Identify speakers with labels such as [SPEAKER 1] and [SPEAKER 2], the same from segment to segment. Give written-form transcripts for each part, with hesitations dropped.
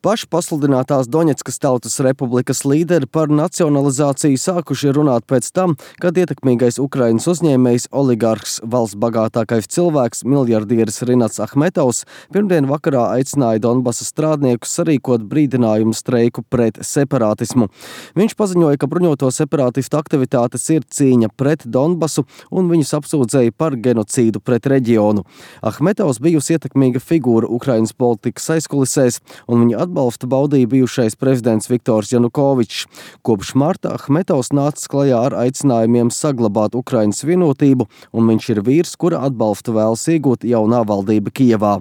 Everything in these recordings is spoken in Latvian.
[SPEAKER 1] Pašpasludinātās Doņetskas Tautas Republikas līderi par nacionalizāciju sākuši runāt pēc tam, kad ietekmīgais Ukrainas uzņēmējs, oligarhs, valsts bagātākais cilvēks, miljardieris Rinats Ahmetovs pirmdien vakarā aicināja Donbasa strādniekus sarīkot brīdinājumu streiku pret separātismu. Viņš paziņoja, ka bruņoto separātistu aktivitātes ir cīņa pret Donbasu un viņus apsūdzēja par genocīdu pret reģionu. Ahmetovs bijusi ietekmīga figūra Ukrainas politikas aizkulisēs, un viņa atbalstu baudīja bijušais prezidents Viktors Janukovičs. Kopš marta Ahmetovs nācis klajā ar aicinājumiem saglabāt Ukrainas vienotību, un viņš ir vīrs, kura atbalstu vēlas iegūt jaunā valdība Kijevā.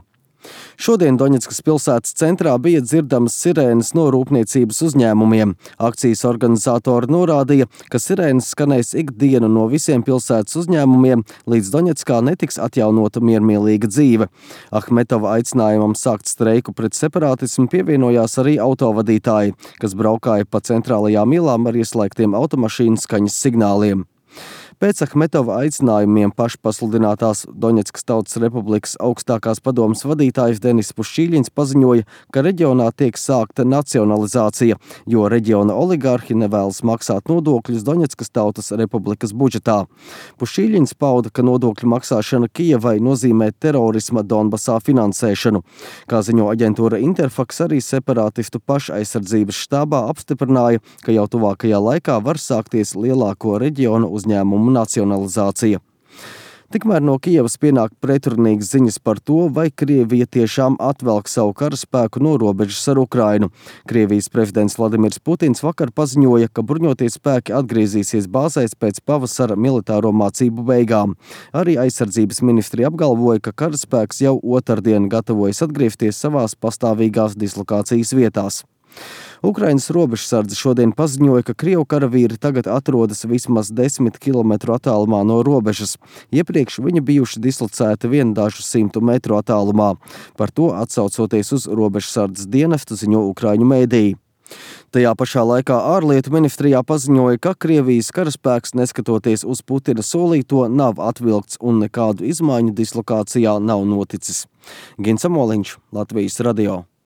[SPEAKER 1] Šodien Doņetskas pilsētas centrā bija dzirdamas sirēnas no rūpniecības uzņēmumiem. Akcijas organizatori norādīja, ka sirēnas skanēs ikdienu no visiem pilsētas uzņēmumiem, līdz Doņetskā netiks atjaunota miermīlīga dzīve. Ahmetova aicinājumam sākt streiku pret separātismu pievienojās arī autovadītāji, kas braukāja pa centrālajām ielām ar ieslēgtiem automašīnu skaņas signāliem. Pēc Ahmetova aicinājumiem pašpasludinātās Doņetskas Tautas Republikas augstākās padomes vadītājs Denis Pušķīļins paziņoja, ka reģionā tiek sākta nacionalizācija, jo reģiona oligarhi nevēlas maksāt nodokļus Doņetskas Tautas Republikas budžetā. Pušķīļins pauda, ka nodokļu maksāšana Kijevai nozīmē terorisma Donbasā finansēšanu. Kā ziņo aģentūra Interfax, arī separātistu pašaizsardzības štābā apstiprināja, ka jau tuvākajā laikā var sākties lielāko reģionu uzņēmumu nacionalizācija. Tikmēr no Kijevas pienāk pretrunīgas ziņas par to, vai Krievija tiešām atvelk savu karaspēku no robežas ar Ukrainu. Krievijas prezidents Vladimirs Putins vakar paziņoja, ka bruņotie spēki atgriezīsies bāzēs pēc pavasara militāro mācību beigām. Arī aizsardzības ministri apgalvoja, ka karaspēks jau otrdien gatavojas atgriezties savās pastāvīgās dislokācijas vietās. Ukrainas robežsardze šodien paziņoja, ka Krievu karavīri tagad atrodas vismaz 10 kilometru attālumā no robežas. Iepriekš viņi bijuši dislocēti vien dažu 100 metru attālumā. Par to atsaucoties uz robežsardzes dienestu ziņo ukraiņu mēdīji. Tajā pašā laikā ārlietu ministrijā paziņoja, ka Krievijas karaspēks, neskatoties uz Putina solīto, nav atvilkts un nekādu izmaiņu dislokācijā nav noticis. Gins Amoliņš, Latvijas radio.